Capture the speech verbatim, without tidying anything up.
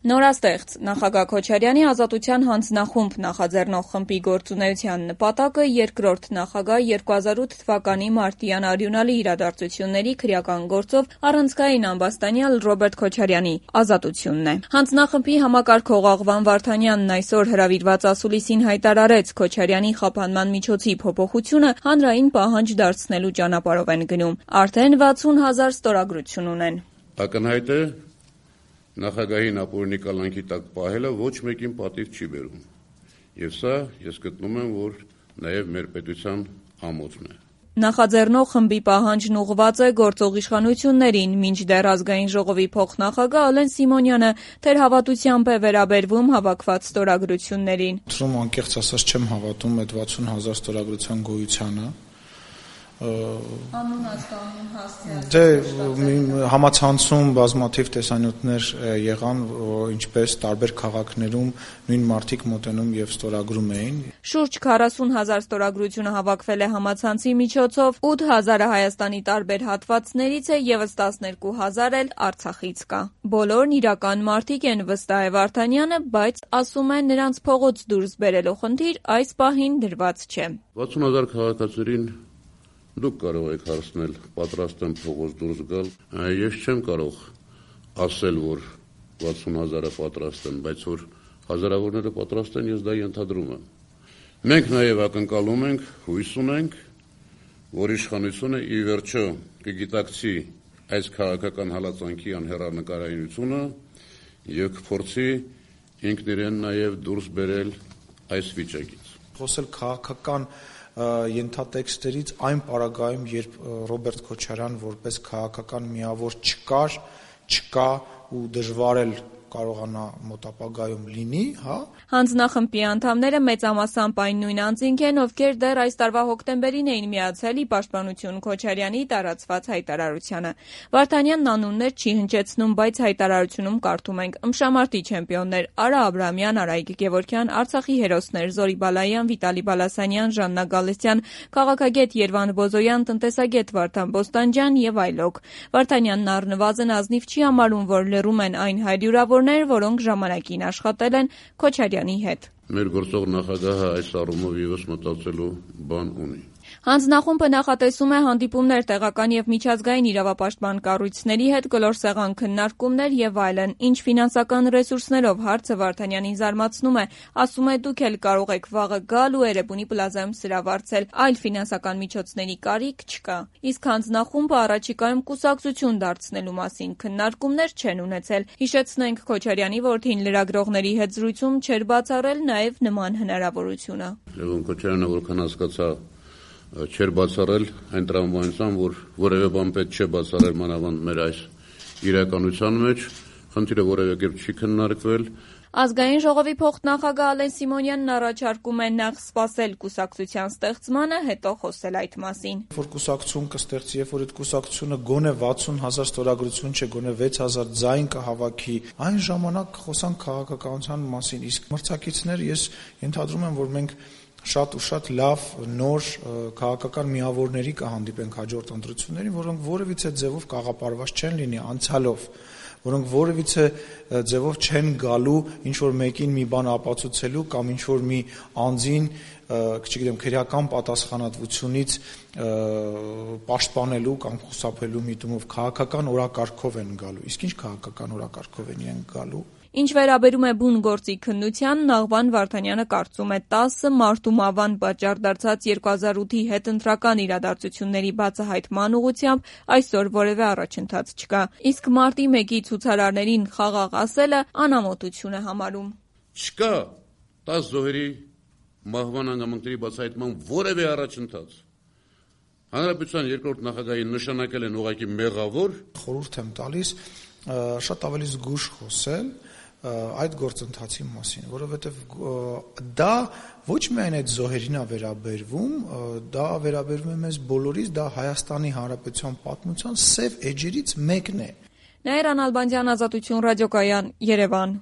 Նորաստեղծ նախագահ Քոչարյանի ազատության հանձնախումբ նախաձեռնող խմբի գործունեության նպատակը երկրորդ նախագահ երկու հազար ութ թվականի մարտյան արյունալի իրադարձությունների քրեական գործով առանցքային ամբաստանյալ Ռոբերտ Քոչարյանի ազատությունն է։ Հանձնախմբի համակարգող Աղվան Վարդանյանն այսօր հրավիրված ասուլիսին հայտարարեց Քոչարյանի խափանման միջոցի փոփոխությունը հանրային պահանջ դարձնելու ճանապարհով են գնում։ Արդեն վաթսուն հազար ստորագրություն ունեն։ Ակնհայտ է նախագահին ապօրինի կալանքի տակ պահելը ոչ մեկին պատիվ չի բերում։ Եվ սա ես գտնում եմ, որ նաև մեր պետության ամոթն է։ Նախաձեռնող խմբի պահանջն ուղղված է գործող իշխանություններին, մինչդեռ ազգային ժողովի փոխնախագահ Ալեն Սիմոնյանը թերհավատությամբ է վերաբերվում հավաքված ստորագրություններին։ Թվում անկեղծ ասած չեմ հավատում այդ վաթսուն հազար ստորագրության գոյությանը։ Անուն հասկանուն հասցեած։ Դե համացանցում բազմաթիվ տեսանյութներ եղան, ինչպես տարբեր քաղաքներում նույն մարդիկ մոտենում եւ ստորագրում էին։ Շուրջ քառասուն հազար ստորագրությունը հավաքվել է համացանցի միջոցով, ութ հազարը Հայաստանի տարբեր հատվածներից է, եւս տասներկու հազար էլ Արցախից կա։ Բոլորն իրական մարդիկ են, վստահ է Վարդանյանը, բայց ասում է նրանց փողոց դուրս բերելու խնդիր այս պահին դրված չէ։ վաթսուն հազար քաղաքացիներին դուք կարող եք հարցնել, պատրաստ եմ փողոց դուրս գալ։ Ես չեմ կարող ասել, որ վաթսուն հազարը պատրաստ են, բայց որ հազարավորները պատրաստ են, ես դա ենթադրում եմ։ Մենք նաև ակնկալում ենք, հույս ունենք, որ իշխանությունը ի վերջո կգիտակցի այս քաղաքական հալածանքի անհեռանկարայնությունը եւ կփորձի ինքն իրեն նաև դուրս բերել այս վիճակից։ Խոսել քաղաքական ենթատեքստերից այն պարագայում, երբ Ռոբերտ Քոչարյան որպես քաղաքական միավոր չկար, չկա ու դժվար էլ կարողանա մոտ ապագայում լինի, հա։ Հանձնախմբի անդամները մեծամասամբ այն նույն անձինք են, ովքեր դեռ այս տարվա հոկտեմբերին էին միացել ի պաշտպանություն Քոչարյանի տարածված հայտարարությանը։ Վարդանյանն անուններ չի հնչեցնում, բայց հայտարարությունում կարդում ենք ըմբշամարտի չեմպիոններ Արա Աբրամյան, Արայիկ Գևորգյան, Արցախի հերոսներ Զորի Բալայան, Վիտալի Բալասանյան, Ժաննա Գալստյան, քաղաքագետ Երվան Բոզոյան, տնտեսագետ Վարդան Բոստանջյան եւ այլոք։ Վարդանյանն առնվազն ազնիվ չի համարում, որ լռում են այն հարյուրավոր որոնք ժամանակին աշխատել են Քոչարյանի հետ։ Մեր գործող նախագահը այս առումով ևս մտածելու բան ունի։ Հանձնախումբը նախատեսում է հանդիպումներ տեղական եւ միջազգային իրավապաշտպան կառույցների հետ, կլոր սեղան քննարկումներ եւ այլն։ Ինչ ֆինանսական ռեսուրսներով հարցը Վարդանյանին զարմացնում է, ասում է դուք էլ կարող եք վաղը գալ ու Էրեբունի պլազայում սրավարձել, այլ ֆինանսական միջոցների կարիք չկա։ Իսկ հանձնախումբը առաջիկայում կուսակցություն դարձնելու մասին քննարկումներ չեն ունեցել։ Հիշեցնենք, Քոչարյանի որդին լրագրողների հետ զրույցում չէր բացառել նաեւ նման հնարավորությունը։ Լևոն Քոչարյանը որքան հասկացա չէր բացառել այն տրամաբանությամբ, որ որևէ բան պետք չէ բացառել մանավանդ մեր այս իրականության մեջ, խնդիրը որևէ կերպ չի քննարկվել։ Ազգային ժողովի փոխնախագահ Ալեն Սիմոնյանն առաջարկում է նախ սպասել կուսակցության ստեղծմանը, հետո խոսել այդ մասին։ Որ կուսակցություն կստեղծի, երբ որ այդ կուսակցությունը գոնե վաթսուն հազար ստորագրություն չէ, գոնե վեց հազար ձայն կհավաքի, այն ժամանակ խոսանք քաղաքականության մասին, իսկ մրցակիցներ ես ենթադրում եմ, որ մենք շատ ու շատ լավ նոր քաղաքական միավորների կհանդիպենք հաջորդ ընտրություններին, որոնք որևիցե ձևով կաղապարված չեն լինի անցյալով, որոնք որևիցե ձևով չեն գալու ինչ-որ մեկին մի բան ապացուցելու կամ ինչ-որ մի անձին, չգիտեմ, քրեական պատասխանատվությունից պաշտպանելու կամ խուսափելու միտումով քաղաքական օրակարգով են գալու։ Իսկ ինչ քաղաքական օրակարգով են իրենք գալու։ Ինչ վերաբերում է բուն գործի քննությանն, Աղվան Վարդանյանը կարծում է տասը մարտու մավան պատճառ դարձած երկու հազար ութի հետընտրական իրադարձությունների բացահայտման ուղղությամբ այսօր որևէ առաջընթաց չկա։ Իսկ մարտի մեկի ցուցարարներին խաղաղ ասելը անամոթություն է համարում։ Չկա տասը զոհերի մահվան հանգամանքների բացահայտման որևէ առաջընթաց։ Հանրապետության երկրորդ նախագահին նշանակել են ուղղակի մեղավոր։ Խորհուրդ եմ տալիս շատ ավելի զգույշ խոսել այդ գործընթացի մասին, որովհետև դա ոչ միայն այդ զոհերին է վերաբերվում, դա վերաբերվում է մեզ բոլորիս, դա Հայաստանի Հանրապետության պատմության սև էջերից մեկն է։ Նաիրա Նալբանդյան, Ազատություն ռադիոկայան, Երևան։